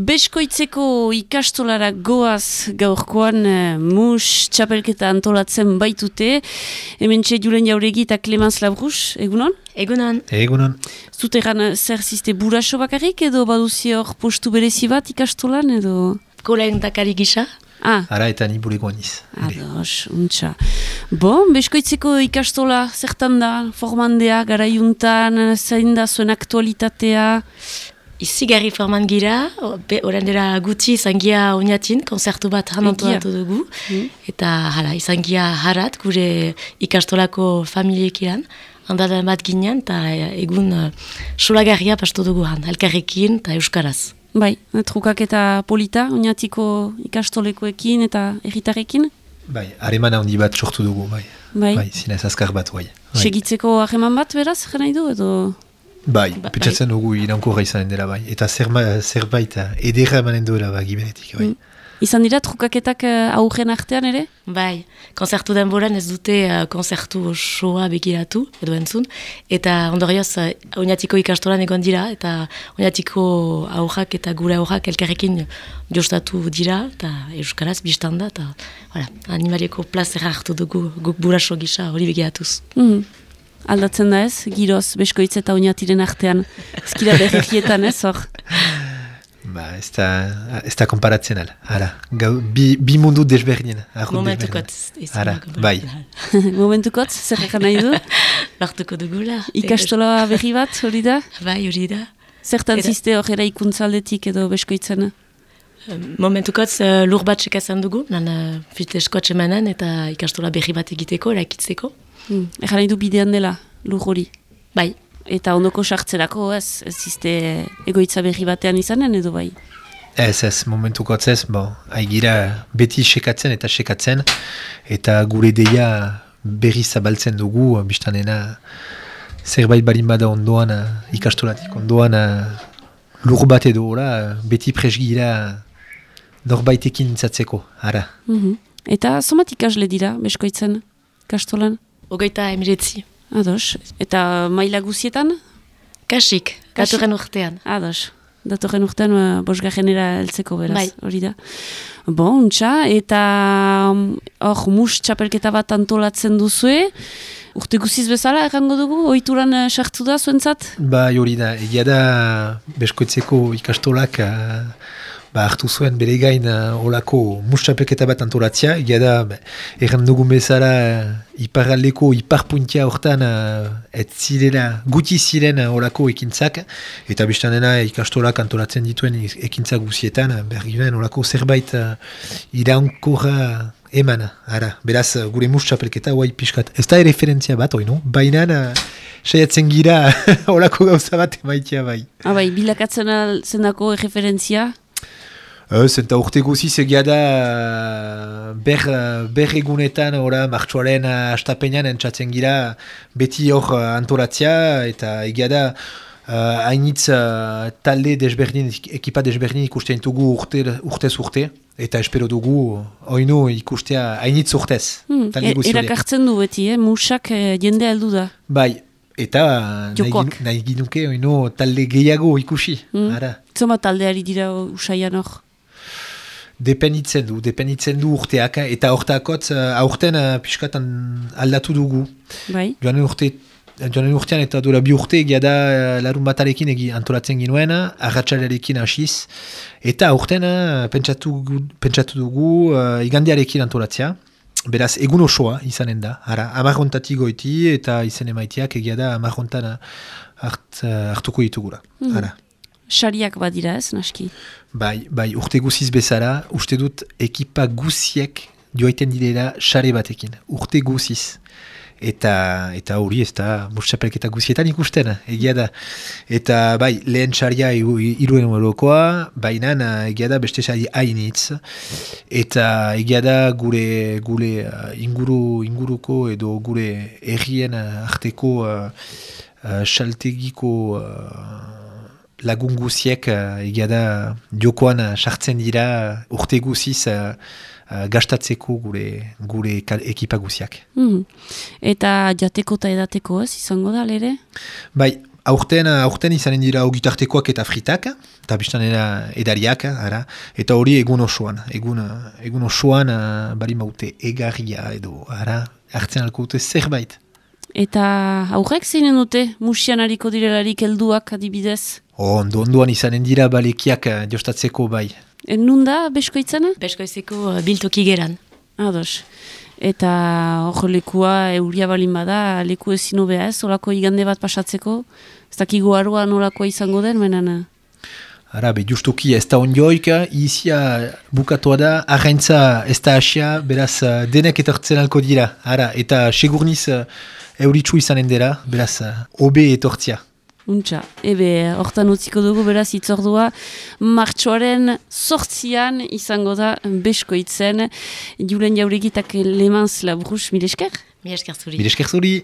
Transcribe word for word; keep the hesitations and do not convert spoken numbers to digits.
Beskoitzeko ikastolara goaz gaurkoan uh, mus txapelketa antolatzen baitute. Hemen txe Julen Jauregi eta Clemens Labrus, egunon? Egunon. Egunon. Zuteran zer ziste buraso bakarrik edo baduzi hor postu berezi bat ikastolan edo? Kolen dakari gisa. Ah. Ara eta ni bulegoan iz. Ados, untxa. Bon, beskoitzeko ikastola zertan da, formandea, garaiuntan, zein da zuen aktualitatea? Izigarri forman gira, orain dela gutxi izan gira oinatin, konzertu bat hanantolatu dugu. Mm. Eta hala, izan gira harat, gure ikastolako familiekiran, handadan bat ginen, eta egun uh, solagarria pastu dugu han, elkarrekin eta euskaraz. Bai, trukak eta polita, oinatiko ikastolekoekin eta erritarrekin? Bai, harreman handi bat sortu dugu, bai. Bai, bai zinez azkar bat, bai. Segitzeko harreman bat, beraz, jena idu, edo? Bai, ba, pentsatzen bai. Dugu irankorra izanen dela, bai. Eta zer, zerbait ederra emanen duela, ba, gibenetik, bai. Mm. Izan dira, trukaketak uh, aurren artean ere? Bai, konzertu denboran ez dute uh, konzertu osoa begiratu, edo entzun, eta ondorioz, uh, oinatiko ikastolan egon dira, eta oinatiko aurrak eta gure aurrak elkarrekin jostatu dira, eta euskaraz biztanda, eta voilà, animalieko plazera hartu dugu guk buraso gisa hori begiratuz. Mm. Aldatzen da ez, giroz, beskoitz eta oinatiren artean, ezkira berrekietan ez, hor? Ba, ez da, ez da konparatzen ala. Ara, gau, bi, bi mundu desberdin. Momentukot. Ara, bai. Momentukot, zer ekan nahi du? Lartuko dugula. Ikastola berri bat, hori da? Bai, hori da. Zertan ziste hor eraikuntzaldetik edo beskoitzen? Momentukot uh, lur bat sekazen dugu, nan uh, fiteskoa txemanen eta ikastola berri bat egiteko, eraikitzeko. Hmm. Egan nahi du bidean dela, lur hori? Bai. Eta ondoko sartzerako, ez, ez izte egoitza berri batean izanen edo bai? Ez, ez, momentukotz ez, bo, haigira beti sekatzen eta sekatzen, eta gure deia berri zabaltzen dugu, biztanena zerbait barin bada ondoan, ikastolatik ondoan, lur bat edo, ora, beti presgira norbaitekin intzatzeko, ara. Mm-hmm. Eta somat ikasle dira, beskoitzen, ikastolan? Ogeita emiretzi. Ados. Eta maila guzietan? Kasik, datorren urtean. Ados. Datorren urtean uh, bosgarrenera heltzeko beraz, bai. Hori da. Bon, untxa, eta hor um, mus txapelketa bat antolatzen duzue. Urte guziz bezala, errango dugu? Ohituran uh, sartu da zuentzat? Ba, hori da. Egia da beskoitzeko ikastolak uh, ba, hartu zuen bere gain uh, olako mus txapelketa bat antolatzea. Egia da, erran dugun bezala uh, iparraldeko iparpuntia hortan uh, ez zirela, guti ziren uh, olako ekintzak, eta biztanena ikastolak antolatzen dituen ekintzak guzietan, uh, behar ginen olako zerbait uh, iraunkorra eman, ara, beraz gure mus txapelketa guai pixkat. Ez da referentzia bat, oi no? Baina uh, saiatzen gira olako gauza bat emaitia bai. Ah, bai, bilakatzen zendako referentzia? Ez, eta urte guziz egia da ber, ber egunetan ora, martxoaren astapenean entzatzen gira beti hor antolatzea, eta egia da uh, hainitz uh, talde desberdin, ekipa desberdin ikusten dugu urte, urtez urte, eta espero dugu oinu ikustea hainitz urtez. Hmm, e, erakartzen du beti, eh? Musak eh, jende aldu da. Bai, eta nahi, nahi ginuke oinu talde gehiago ikusi. Hmm. Zoma taldeari dira usaian hor? Dependitzen du, dependitzen du urteak, eta hortakotz aurten uh, pixkatan aldatu dugu. Bai. Joanen urte, joanen urtean eta dola bi urte egia da uh, larun batarekin egi antolatzen ginuen, arratsalarekin hasiz, eta aurten uh, pentsatu, pentsatu dugu uh, igandiarekin antolatzea. Beraz, egun osoa izanen da. Ara, amarrontatik goiti eta izen emaitiak egia da amarrontan hart, uh, hartuko ditugura. Mm. Ara. Sariak badira ez, naski? Bai, bai, urte guziz bezala, uste dut ekipa guziek joaiten direla sare batekin. Urte guziz. Eta eta hori ez da mustxapelketa guzietan ikusten, egia da. Eta bai, lehen saria iruen eurokoa, baina egia da beste sari hainitz. Eta egia da gure, gure inguru, inguruko edo gure herrien arteko uh, saltegiko uh, lagun guziek uh, egia da jokoan sartzen uh, dira urte guziz uh, uh, gastatzeko gure, gure ekipa guziak. Mm. Eta jateko eta edateko ez izango da, lere? Bai, aurten, aurten izanen dira ogitartekoak eta fritak, eta biztan edariak, ara, eta hori egun osoan. Egun, egun osoan uh, bari maute egarria edo, ara, hartzen alko dute zerbait. Eta aurrek zeinen dute, musian hariko direlarik helduak adibidez? Ondo, ondoan izanen dira balekiak uh, jostatzeko bai. En nun da, beskoitzana? Beskoizeko uh, biltoki geran. Ados. Eta hor lekua euria balin bada, leku ezin hobea ez, olako igande bat pasatzeko, ez dakigu arua nolakoa izango den, menan. Ara, be, justuki ez da ondioik, izia bukatoa da, arraintza ez da asia, beraz uh, denek etortzen alko dira. Ara, eta segurniz uh, euritsu izanen dira, beraz, uh, obe etortzia. Untxa, ebe, hortan utziko dugu beraz itzordua, martxoaren sortzian izango da beskoitzen, Julen Jauregitak Le Mans Labruz, mil esker? Mil esker zuri. Mil esker zuri.